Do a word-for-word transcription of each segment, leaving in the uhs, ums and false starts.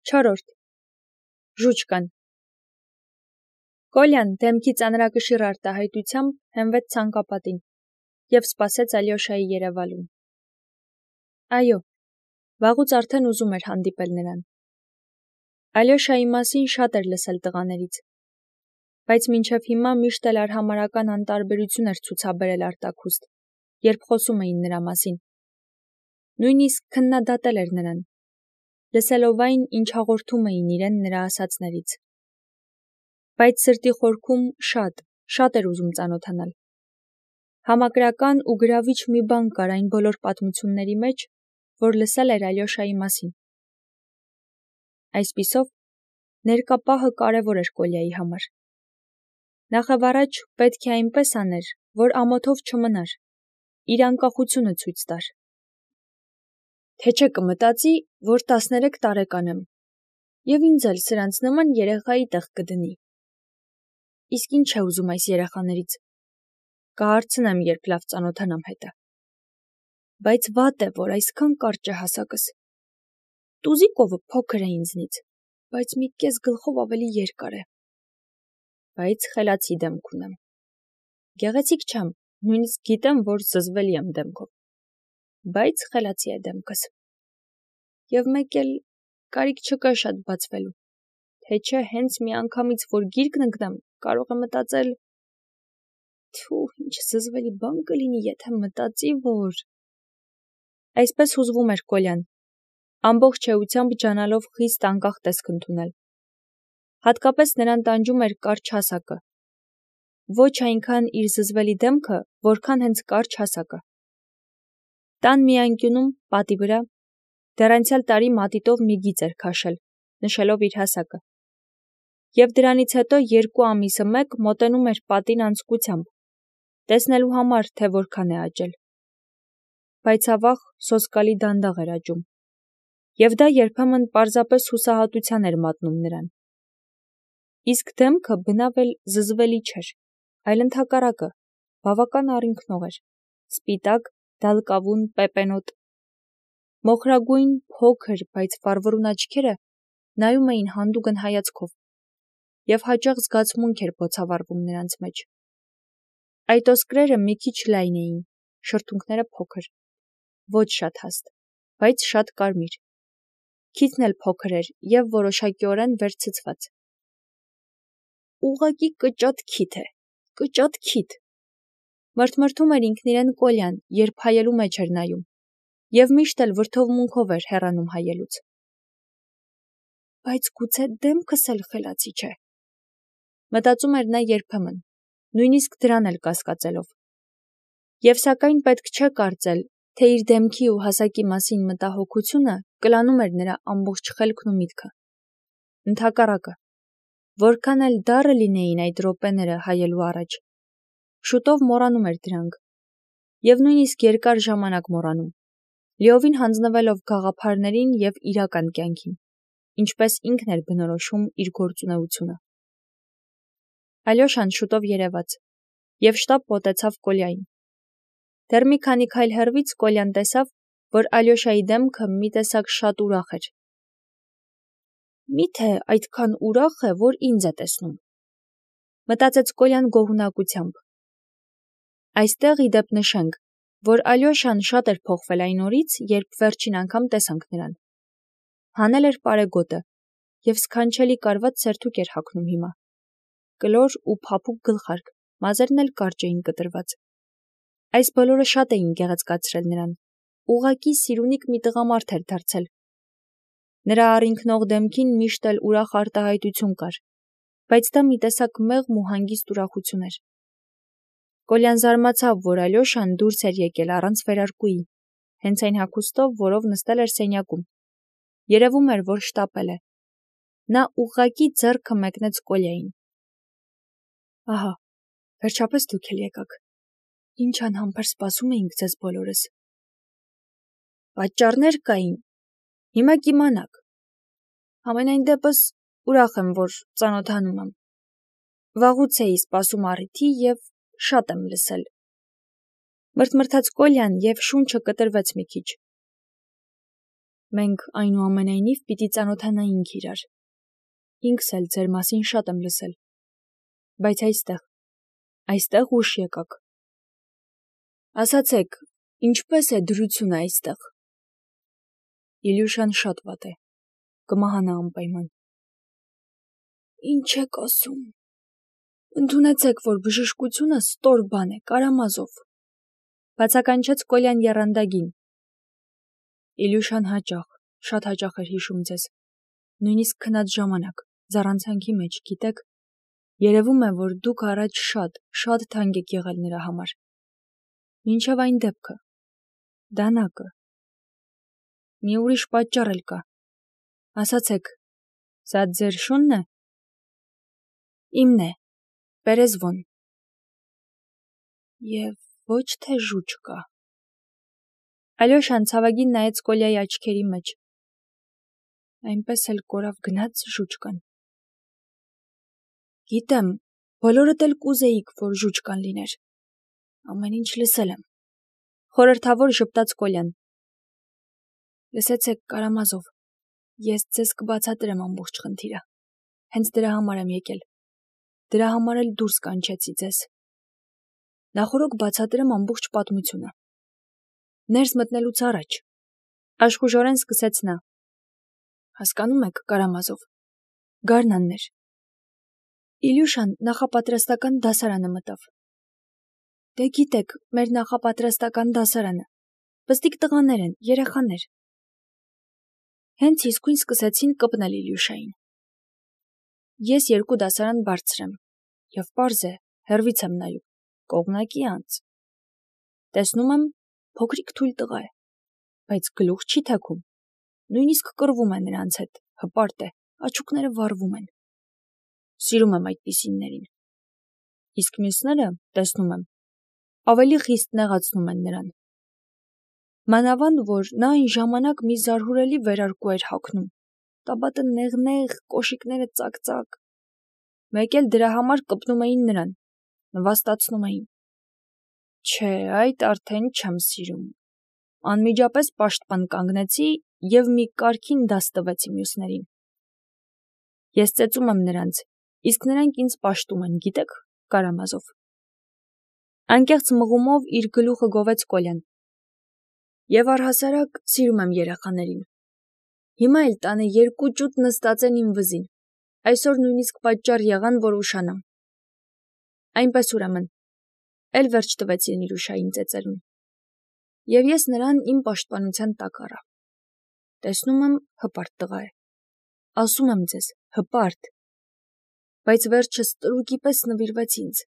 Չորրորդ. Ժուչկան։ Կոլյան դեմքի ծանրակշիռ արտահայտությամբ հենվեց ցանկապատին և սպասեց Ալյոշայի երևալուն։ Այո, վաղուց արդեն ուզում էր հանդիպել նրան։ Ալյոշայի մասին շատ էր լսել տղաներից, բայց մինչև հիմա միշտ էլ արհամարհական անտարբերություն էր ցուցաբերել արտաքուստ, երբ խոսում էին նրա մասին։ Նույնիսկ քննադատել էր նրան, լսելով այն, ինչ հաղորդում էին իրեն նրա ասածներից։ Բայց սրտի խորքում շատ, շատ էր ուզում ծանոթանալ։ Համակրական ու գրավիչ մի բան կար այն բոլոր պատմությունների մեջ, որ լսել էր Ալյոշայի մասին։ Այսպիսով, ներկա պահը կարևոր էր Կոլյայի համար։ Նախևառաջ պետք է այնպես աներ, որ ամոթով չմնար, իր անկախությունը ցույց տար։ Թե չէ կմտածի, որ տասներեք տարեկան եմ, և ինձ էլ սրանց նման երեխայի տեղ կդնի։ Իսկ ինչ է ուզում այս երեխաներից։ Կհարցնեմ, երբ լավ ծանոթանամ հետը։ Բայց վատ է, որ այսքան կարճ է հասակս։ Տուզիկովը փոքր է ինձնից, բայց մի կես գլխով ավելի երկար է։ Բայց խելացի դեմք ունեմ։ Գեղեցիկ չեմ, նույնիսկ գիտեմ, որ զզվելի եմ դեմքով։ Բայց խելացի է դեմքս։ Եվ մեկ էլ կարիք չկա շատ բացվելու, թե չէ հենց մի անգամից, որ գիրկն ընկնեմ, կարող է մտածել. Թու, ինչ զզվելի բան կլինի, եթե մտածի, որ… Այսպես հուզվում էր Կոլյան, ամբողջ էությամբ ջանալով խիստ անկախ տեսք ընդունել։ Հատկապես նրան տանջում էր կարճ հասակը։ Ոչ այնքան իր զզվելի դեմքը, որքան հենց կարճ հասակը։ Տան մի անկյունում, պատի վրա, դեռ անցյալ տարի մատիտով մի գիծ էր քաշել, նշելով իր հասակը։ Եվ դրանից հետո երկու ամիսը մեկ մոտենում էր պատին անձկությամբ, տեսնելու համար, թե որքան է աճել։ Բայց ավաղ սոսկալի դանդաղ էր աճում, և դա երբեմն պարզապես հուսահատության էր մատնում նրան։ Իսկ դեմքը բնավ էլ զզվելի չէր, այլ ընդհակառակը, բավական առինքնող էր, սպիտակ, դալկավուն, պեպենոտ։ Մոխրագույն, փոքր, բայց վառվռուն աչքերը նայում էին հանդուգն հայացքով, և հաճախ զգացմունք էր բոցավառվում նրանց մեջ։ Այդ ոսկրերը մի քիչ լայն էին, շրթունքները փոքր, ոչ շատ հաստ, բայց շատ կարմիր։ Քիթն էլ փոքր էր և որոշակիորեն վեր ցցված։ Ուղղակի կճատ քիթ է, կճատ քիթ։ Մրթմրթում էր ինքն իրեն Կոլյան, երբ հայելու մեջ էր նայում, և միշտ էլ վրդովմունքով էր հեռանում հայելուց։ Բայց գուցե դեմքս էլ խելացի չէ։ Մտածում էր նա երբեմն, նույնիսկ դրան էլ կասկածելով։ Եվ սակայն պետք չէ կարծել, թե իր դեմքի ու հասակի մասին մտահոգությունը կլանում էր նրա ամբողջ խելքն ու միտքը։ Ընդհակառակը, որքան էլ դառը լինեին այդ րոպեները հայելու առաջ, շուտով մոռանում էր դրանք, և նույնիսկ երկար ժամանակ մոռանում, լիովին հանձնվելով գաղափարներին և իրական կյանքին, ինչպես ինքն էր բնորոշում իր գործունեությունը։ Ալյոշան շուտով երևաց, և շտապ մոտեցավ Կոլյային։ Դեռ մի քանի քայլ հեռվից Կոլյան տեսավ, որ Ալյոշայի դեմքը մի տեսակ շատ ուրախ էր։ Մի՞թե այդքան ուրախ է, որ ինձ է տեսնում, մտածեց Կոլյան գոհունակությամբ։ Այստեղ ի դեպ նշենք, որ Ալյոշան շատ էր փոխվել այն օրից, երբ վերջին անգամ տեսանք նրան։ Հանել էր պարեգոտը և սքանչելի կարված սերթուկ էր հագնում հիմա։ Կլոր ու փափուկ գլխարկ, մազերն էլ կարճ էին կտրված։ Այս բոլորը շատ էին գեղեցկացրել նրան, ուղղակի սիրունիկ մի տղամարդ էր դարձել։ Նրա առինքնող դեմքին միշտ էլ ուրախ արտահայտություն կար, բայց դա մի տեսակ մեղմ ու հանգիստ ուրախություն էր։ Կոլյան զարմացավ, որ Ալյոշան դուրս էր եկել առանց վերարկուի, հենց այն հագուստով, որով նստել էր սենյակում։ Երևում էր, որ շտապել է։ Նա ուղղակի ձեռքը մեկնեց Կոլյային։ Ահա, վերջապես դուք էլ եկաք։ Ինչ անհամբեր սպասում էինք ձեզ բոլորս։ Պատճառներ կային, հիմա կիմանաք։ Համենայն դեպս ուրախ եմ, որ ծանոթանում եմ։ Վաղուց էի սպասում առիթի և շատ եմ լսել։ Մրթմրթաց Կոլյան և շունչը կտրվեց մի քիչ։ Մենք այնուամենայնիվ պիտի ծանոթանայինք իրար։ Ինքս էլ ձեր մասին շատ եմ լսել։ Բայց այստեղ, այստեղ ուշ եկաք։ Ասացեք, ինչպես է դրությունը այստեղ։ Իլյուշան շատ վատ է, կմահանա անպայման։ Ինչ եք ասում։ Ընդունեցեք, որ բժշկությունը ստոր բան է, Կարամազով, բացականչեց Կոլյան եռանդագին։ Իլյուշան հաճախ, շատ հաճախ էր հիշում ձեզ, նույնիսկ քնած ժամանակ, զառանցանքի մեջ, գիտեք, երևում է, որ դուք առաջ շատ, շատ թանկ եք եղել նրա համար։ Մինչև այն դեպքը, դանակը։ Մի ուրիշ պատճառ էլ կա։ Ասացեք, սա ձեր շունն է։ Իմն է, Պերեզվոն։ Եվ ոչ թե ժուճկա։ Ալյոշան ցավագին նայեց Կոլյայի աչքերի մեջ։ Այնպես էլ կորավ գնաց ժուճկան։ Գիտեմ, բոլորդ էլ կուզեիք, որ ժուճկան լիներ։ Ամեն ինչ լսել եմ։ Խորհրդավոր ժպտաց Կոլյան։ Լսեցեք, Կարամազով, ես ձեզ կբացատրեմ ամբողջ խնդիրը։ Հենց դրա համար եմ եկել։ Դրա համար էլ դուրս կանչեցի ձեզ։ Նախորոք բացատրեմ ամբողջ պատմությունը։ Ներս մտնելուց առաջ, աշխուժորեն սկսեց նա։ Հասկանում եք, Կարամազով, Գարնաններ։ Իլյուշան նախապատրաստական դասարանը մտավ։ Դե գիտեք, մեր նախապատրաստական դասարանը։ Պստիկ տղաներ են, երեխաներ։ Հենց իսկույն սկսեցին կպնել Իլյուշային։ Ես երկու դասարան բարձր եմ, և պարզ է, հեռվից եմ նայում, կողմնակի անց։ Տեսնում եմ, փոքրիկ թույլ տղա է, բայց գլուխ չի թեքում, նույնիսկ կռվում է նրանց հետ, հպարտ է, աչուկները վառվում են։ Սիրում եմ այդպիսիններին։ Իսկ մյուսները, տեսնում եմ, ավելի խիստ նեղացնում են նրան։ Մանավանդ, որ նա այն ժամանակ մի զարհուրելի վերարկու էր հագնում, տաբատը նեղ-նեղ, կոշիկները ծակ-ծակ։ Մեկ էլ դրա համար կպնում էին նրան, նվաստացնում էին։ Չէ, այդ արդեն չեմ սիրում։ Անմիջապես պաշտպան կանգնեցի և մի կարգին դաս տվեցի մյուսներին։ Ես ծեծում եմ նրանց, իսկ նրանք ինձ պաշտում են, գիտեք, Կարամազով։ Անկեղծ մղումով իր գլուխը գովեց Կոլյան։ Եվ առհասարակ սիրում եմ երեխաներին։ Հիմա էլ տանը երկու ճուտ նստած են իմ վզին։ Այսօր նույնիսկ պատճառ եղան, որ ուշանամ։ Այնպես ուրեմն, էլ վերջ տվեցին Իլյուշային ծեծելուն։ Եվ ես նրան իմ պաշտպանության տակ առա։ Տեսնում եմ, հպարտ տղա է։ Ասում եմ ձեզ, հպարտ։ Բայց վերջը ստրուկի պես նվիրվեց ինձ։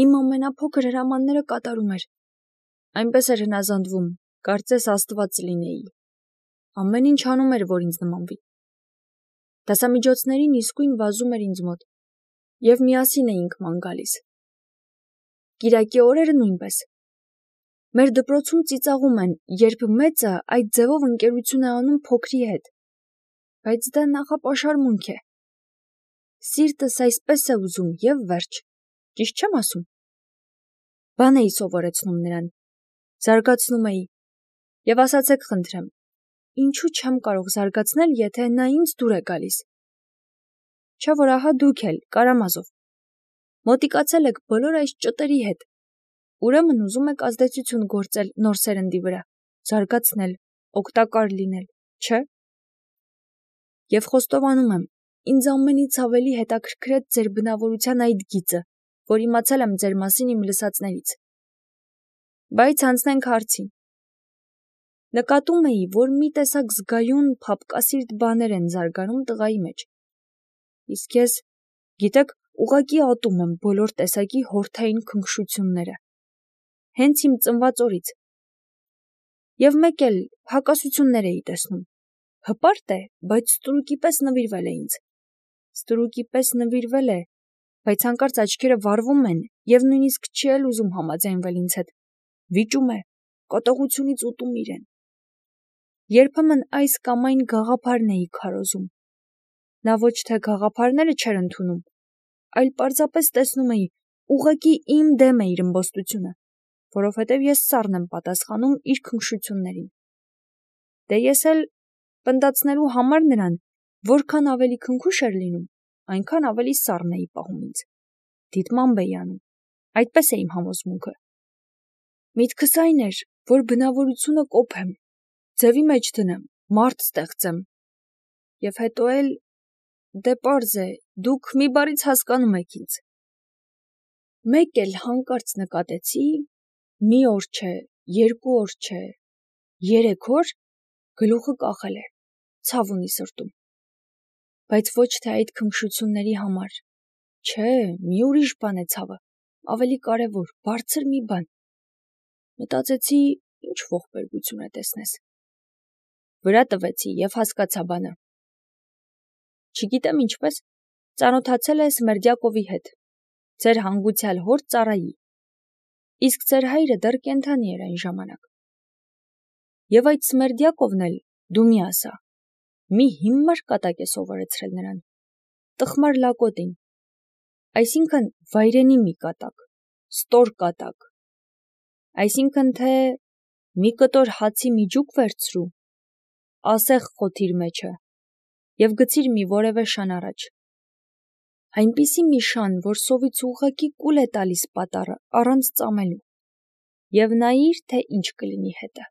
Իմ ամենափոքր հրամանները կատարում էր։ Այնպես էր հնազանդվում, կարծես Աստված լինեի։ Ամեն ինչ անում էր, որ ինձ նմանվի։ Դասամիջոցներին իսկույն վազում էր ինձ մոտ, և միասին էինք ման գալիս։ Կիրակի օրերը նույնպես։ Մեր դպրոցում ծիծաղում են, երբ մեծը այդ ձևով ընկերություն է անում փոքրի հետ։ Բայց դա նախապաշարմունք է։ Սիրտս այսպես է ուզում, և վերջ։ Ճիշտ չեմ ասում։ Բան էի սովորեցնում նրան, զարգացնում էի։ Եվ ասացեք խնդրեմ, ինչու չեմ կարող զարգացնել, եթե նա ինձ դուր է գալիս։ Չէ՞ որ ահա դուք էլ, Կարամազով, մոտիկացել եք բոլոր այս ճտերի հետ, ուրեմն ուզում եք ազդեցություն գործել նոր սերնդի վրա, զարգացնել, օգտակար լինել, չէ՞։ Եվ խոստովանում եմ, ինձ ամենից ավելի հետաքրքրեց ձեր բնավորության այդ գիծը, որ իմացել եմ ձեր մասին իմ լսածներից։ Բայց անցնենք հարցին։ Նկատում էի, որ մի տեսակ զգայուն, փափկասիրտ բաներ են զարգանում տղայի մեջ։ Իսկ ես, գիտեք, ուղղակի ատում եմ բոլոր տեսակի հորթային քնքշությունները։ Հենց իմ ծնված օրից։ Եվ մեկ էլ հակասություններ էի տեսնում։ Հպարտ է, բայց ստրուկի պես նվիրվել է ինձ։ Ստրուկի պես նվիրվել է, բայց հանկարծ աչքերը վառվում են և նույնիսկ չի էլ ուզում համաձայնվել ինձ հետ։ Վիճում է, կատաղությունից ուտում իրեն։ Երբեմն այս կամ այն գաղափարն էի քարոզում։ Նա ոչ թե գաղափարները չէր ընդունում, այլ պարզապես տեսնում էի, ուղղակի իմ դեմ է իր ըմբոստությունը, որովհետև ես սառն եմ պատասխանում իր քնքշություններին։ Դե ես էլ Պնդացնելու համար նրան, որքան ավելի քնքուշ էր լինում, այնքան ավելի սառն էի պահում ինձ։ Դիտմամբ էի անում, այդպես է իմ համոզմունքը։ Միտքս այն էր, որ բնավորությունը կոփեմ, ձևի մեջ դնեմ, մարդ ստեղծեմ։ Եվ հետո էլ, դե պարզ է, դուք մի բառից հասկանում եք ինձ։ Մեկ էլ հանկարծ նկատեցի, մի օր չէ, երկու օր չէ, երեք օր գլուխը կախել է, ցավ ունի սրտում։ Բայց ոչ թե այդ քնքշությունների համար, չէ, մի ուրիշ բան է ցավը, ավելի կարևոր, բարձր մի բան։ Մտածեցի, ինչ ողբերգություն է տեսնես։ Վրա տվեցի և հասկացա բանը։ Չգիտեմ ինչպես, ծանոթացել է Սմերդյակովի հետ, ձեր հանգուցյալ հոր ծառայի, իսկ ձեր հայրը դեռ կենդանի էր այն ժամանակ։ Եվ այդ Սմերդյակովն էլ, դու մի ասա, մի հիմար կատակ է սովորեցրել նրան, տխմար լակոտին, այսինքն վայրենի մի կատակ, ստոր կատակ, այսինքն թե մի կտոր հացի միջուկ վերցրու, ասեղ խոթիր մեջը և գցիր մի որևէ շան առաջ, այնպիսի մի շան, որ սովից ուղղակի կուլ է տալիս պատառը առանց ծամելու, և նայիր, թե ինչ կլինի հետը։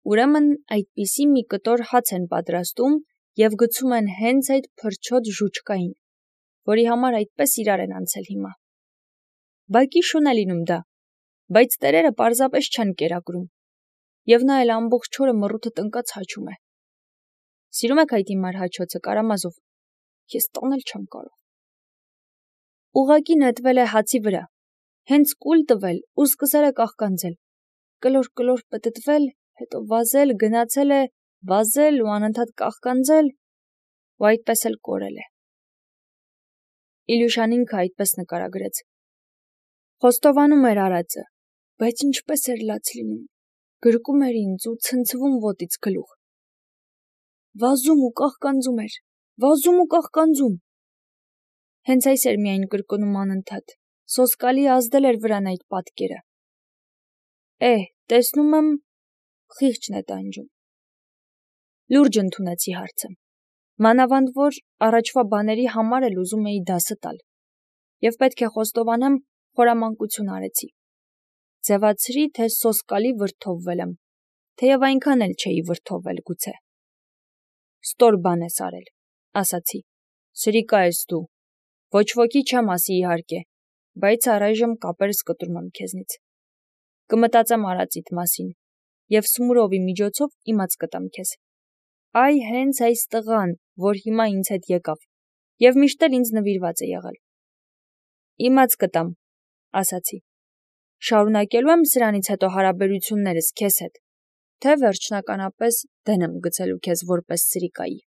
Ուրեմն այդպիսի մի կտոր հաց են պատրաստում և գցում են հենց այդ փրչոտ ժուչկային, որի համար այդպես իրար են անցել հիմա։ Բակի շուն է լինում դա, բայց տերերը պարզապես չեն կերակրում, և նա էլ ամբողջ օրը մռութը տնկած հաչում է։ Սիրում եք այդ հիմար հաչոցը, Կարամազով, ես տանել չեմ կարող։ Ուղղակի նետվել է հացի վրա, հենց կուլ տվել ու սկսել է կաղկանձել, կլոր-կլոր պտտվել, հետո վազել, գնացել է, վազել ու անընդհատ կաղկանձել, ու այդպես էլ կորել է։ Իլյուշան ինքը այդպես նկարագրեց։ Խոստովանում էր արածը, բայց ինչպես էր լաց լինում, գրկում էր ինձ ու ցնցվում ոտից գլուխ։ Վազում ու կաղկանձում էր, վազում ու կաղկանձում։ Հենց այս էր միայն կրկնում անընդհատ, սոսկալի ազդել էր վրան այդ պատկերը։ Էհ, տեսնում եմ, խիղճն է տանջում։ Լուրջ ընդունեցի հարցը, մանավանդ որ առաջվա բաների համար էլ ուզում էի դասը տալ, և պետք է խոստովանեմ, խորամանկություն արեցի։ Ձևացրի, թե սոսկալի վրդովվել եմ, թեև այնքան էլ չէի վրդովվել գուցե։ Ստոր բան ես արել, ասացի, սրիկա ես դու, ոչ ոքի չեմ ասի իհարկե, բայց առայժմ կապերս կտրում եմ քեզնից։ Կմտածեմ արածիդ մասին, և Սմուրովի միջոցով իմաց կտամ քեզ։ Այ հենց այս տղան, որ հիմա ինձ հետ եկավ, և միշտ էլ ինձ նվիրված է եղել։ Իմաց կտամ, ասացի, շարունակելու եմ սրանից հետո հարաբերություններս քեզ հետ, թե վերջնականապես դեն եմ գցելու քեզ որպես սրիկայի։